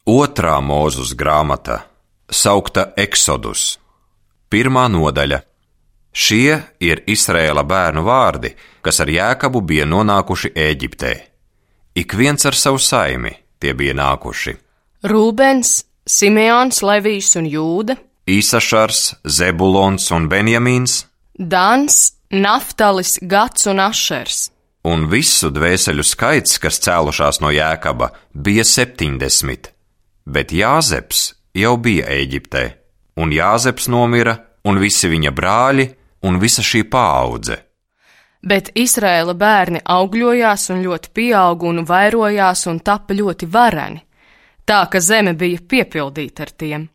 Otrā Mūzes grāmata, saukta Eksodus. 1. nodaļa. Šie ir Izraēla bērnu vārdi, kas ar Jēkabu bija nonākuši Ēģiptē. Ik viens ar savu saimi tie bija nākuši. Rūbens, Simeons, Levijs un Jūda, Īsašars, Zebulons un Benjamīns, Dans, Naftalis, Gats un Ašers. un visu dvēseļu skaits, kas cēlušās no Jēkaba, bija 70, bet Jāzeps jau bija Ēģiptē, un Jāzeps nomira, un visi viņa brāļi, un visa šī paaudze. Bet Izraēla bērni augļojās un ļoti pieauga un vairojās un tapa ļoti vareni, tā ka zeme bija piepildīta ar tiem.